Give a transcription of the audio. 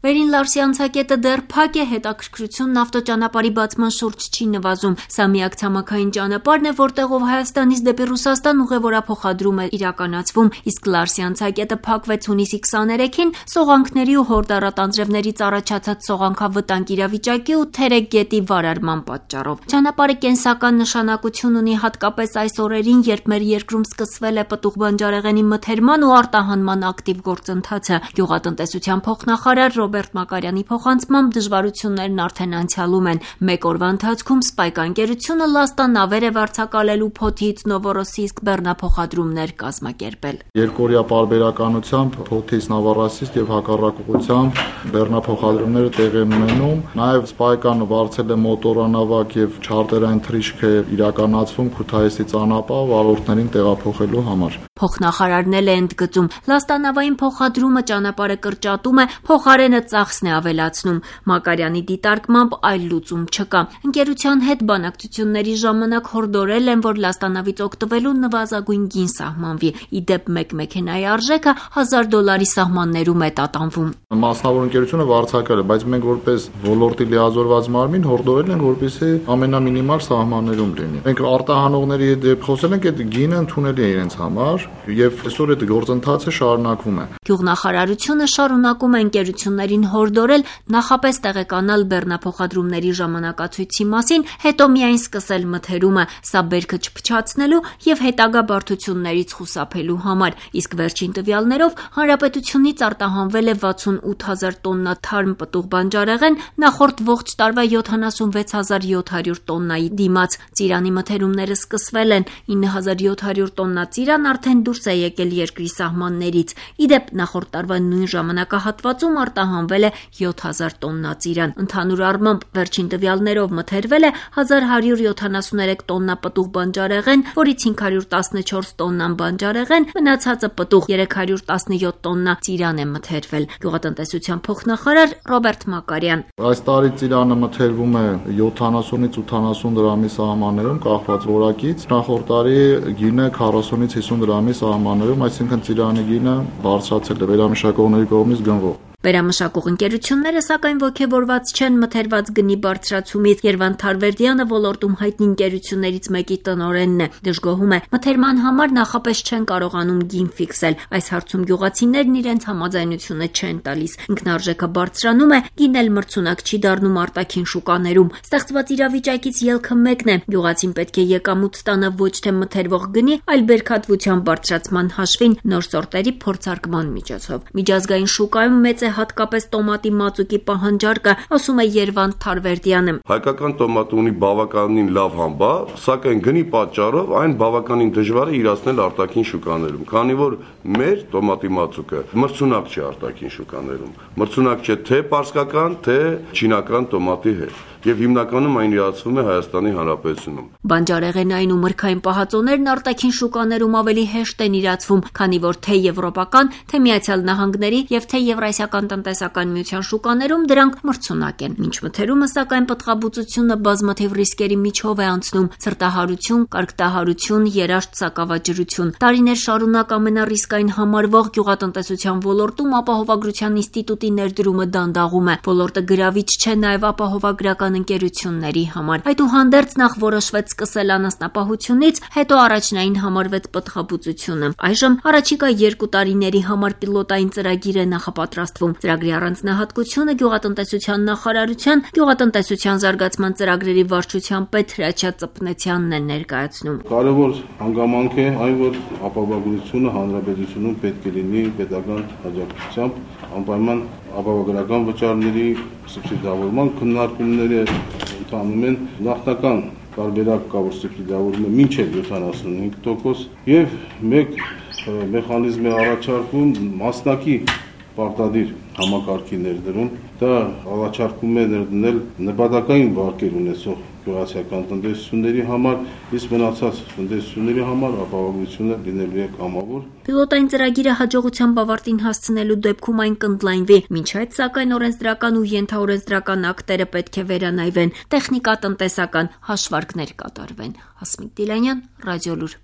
Վերին Լարսի անցակետը դեռ փակ է, հետաքրքրությունն ավտոճանապարհի բացման շուրջ չի նվազում։ Սա միակ ցամաքային ճանապարհն է, որտեղով Հայաստանից դեպի Ռուսաստան ուղևորափոխադրում է իրականացվում, իսկ Լարսի անցակետը փակվեց հունիսի 23-ին սողանքների ու հորդառատ անձրևներից առաջացած սողանքավտանգ իրավիճակի ու Թերեկ գետի վարարման պատճառով։ Ճանապարհը կենսական նշանակություն ունի հատկապես այս օրերին, երբ մեր երկրում սկսվել է պտուղ բանջարեղենի մթերման ու արտահանման ակտիվ գործընթացը։ Գյուղատնտեսության փոխնախարար Ռոբերտ Մակարյանի փոխանցմամբ դժվարություններն արդեն անցյալում են։ Մեկ օրվա ընթացքում Սպայք ընկերությունը լաստանավեր է վարձակալելու Փոթից Նովորոսիիսկ բեռնափոխադրումներ կազմակերպել։ Երկօրյա պարբերականությամբ Փոթից Նովորոսիիսկ եւ հակառակ ուղղությամբ բեռնափոխադրումները տեղի են ունենում։ Նաեւ Սպայքան վարձել է մոտորանավակ եւ չարտերային թռիչք է իրականացվում Քութայիսի ճանապարհ վարորդներին տեղափոխելու համար։ Փոխնախարարն էլ է ընդգծում, լաստանավային փոխադրումը ճանապարհը կրճատում է, փոխարենը ծախսն է ավելացնում։ Մակարյանի դիտարկմամբ այլ լուծում չկա։ Ընկերության հետ բանակցությունների ժամանակ հորդորել են, որ լաստանավից օգտվելու նվազագույն գին սահմանվի։ Ի դեպ, մեկ մեքենայի արժեքը $1000 սահմաններում է տատանվում։ Մասնավոր ընկերությունը վարձակալ է, բայց մենք որպես ոլորտի լիազորված մարմին հորդորել ենք, որպեսզի ամենամինիմալ սահմաններում լինի։ Մենք արտահանողների հետ խոսել ենք, այդ գինը ընդունելի է իրենց համար, եւ այսօր այդ գործընթացը շարունակվում է։ Գյուղնախարարությունը շարունակում է ընկերություններին հորդորել նախապես տեղեկանալ բեռնափոխադրումների ժամանակացույցի մասին, հետո միայն սկսել մթերումը, սա բերքը չփչացնելու եւ հետագա բարդություններից խուսափելու համար, իսկ վերջին տվյալներով հանրապետությունից արտահանվել է 68000 տոննա թարմ պտուղ բանջարեղեն, նախորդ ողջ տարվա 76700 տոննայի դիմաց։ Ծիրանի մթերումները սկսվել են, 9700 տոննա ծիրան արդեն դուրս է եկել երկրի սահմաններից։ Ի դեպ, նախորդ տարվա նույն ժամանակահատվածում արտահանվել է 7000 տոննա ծիրան։ Ընդհանուր առմամբ վերջին տվյալներով մթերվել է 1173 տոննա պտուղ բանջարեղեն, որից 514 տոննան բանջարեղեն, մնացածը պտուղ 317 տոննա ծիրան է մթերվել։ Գյուղատնտեսության փոխնախարար Ռոբերտ Մակարյան։ Այս տարի ծիրանը մթերվում է 70-ից 80 դրամի սահմաններում, կախված որակից։ Նախորդ տարի գինը 40-ից 50 դրամի սահմաններում, այսինքն ծիրանի գինը բարձրացել է վերամշակողների կողմից գնվող։ Վերամշակող ընկերությունները սակայն ոգևորված չեն մթերված գնի բարձրացումից։ Երվանդ Թարվերդյանը ոլորտում հայտնի ընկերություններից մեկի տնօրենն է։ Դժգոհում է, մթերման համար նախապես չեն կարողանում գին ֆիքսել։ Այս հարցում գյուղացիներն իրենց համաձայնությունը չեն տալիս։ Ինքնարժեքը բարձրանում է, գինն էլ մրցունակ չի դառնում արտաքին շուկաներում։ Ստեղծված իրավիճակից ելքը մեկն է։ Գյուղացին պետք է եկամուտ ստանա ոչ թե մթերվող գնի, այլ բերքատվության բարձրացման հաշվին նոր սորտերի փորձարկման միջոցով։ Միջազգային շուկայում մեծ է հատկապես տոմատի մածուկի պահանջարկը, ասում է Երվանդ Թարվերդյանը։ Հայկական տոմատը ունի բավականին լավ համբավ, սակայն գնի պատճառով այն բավականին դժվար է իրացնել արտաքին շուկաներում, քանի որ մեր տոմատի մածուկը մրցունակ չէ արտաքին շուկաներում։ Մրցունակ չէ թե պարսկական, թե չինական տոմատի հետ։ Եվ հիմնականում այն իրացվում է Հայաստանի Հանրապետությունում։ Բանջարեղենային ու մրգային պահածոներն արտաքին շուկաներում ավելի հեշտ են իրացվում, քանի որ թե եվրոպական, թե Միացյալ Նահանգների եւ թե Եվրասիական տնտեսական միության շուկաներում դրանք մրցունակ են։ Մինչ մթերումը, սակայն, պտղաբուծությունը բազմաթիվ ռիսկերի միջով է անցնում՝ ցրտահարություն, կարկտահարություն, երաշտ սակավաջրություն։ Տարիներ շարունակ ամենառիսկային համարվող գյուղատնտեսության ոլորտում ապահովագրության ինստիտուտի ներդրումը դանդաղում է։ Ոլորտը գրավիչ չէ նաեւ ապահովագրական ընկերությունների համար։ Այդուհանդերձ նախ որոշվեց սկսել անասնապահությունից, հետո առաջնային համարվեց պտղաբուծությունը։ Այժմ առաջիկա 2 տարիների համար պիլոտային ծրագիր է նախապատրաստվում։ Ծրագրի առանձնահատկությունը գյուղատնտեսության նախարարության գյուղատնտեսության զարգացման ծրագրերի վարչության պետ Հրաչյա Ծպնեցյանն է ներկայացնում։ Կարևոր հանգամանք է այն, որ ապահովագրությունը հանրապետությունում պետք է լինի պետական աջակցությամբ, անպայման ապահովագրական վճարների սուբսիդավորման քննարկումները ընթանում են։ Նախնական տարբերակ կա, որ սուբսիդավորվում է մինչև 75% եւ մեկ մեխանիզմ է առաջարկվում մասնակի պարտադիր համակարգի ներդրում։ Դա առաջարկում է ներդնել նպատակային վարկեր ունեցող գյուղացիական տնտեսությունների համար, իսկ մնացած տնտեսությունների համար ապահովությունը լինելու է կամավոր։ Պիլոտային ծրագիրը հաջողությամբ ավարտին հասցնելու դեպքում այն կընդլայնվի։ Մինչ այդ, սակայն, օրենսդրական ու ենթաօրենսդրական ակտերը պետք է վերանայվեն, տեխնիկա-տնտեսական հաշվարկներ կատարվեն։ Հասմիկ Դիլանյան, Ռադիոլուր։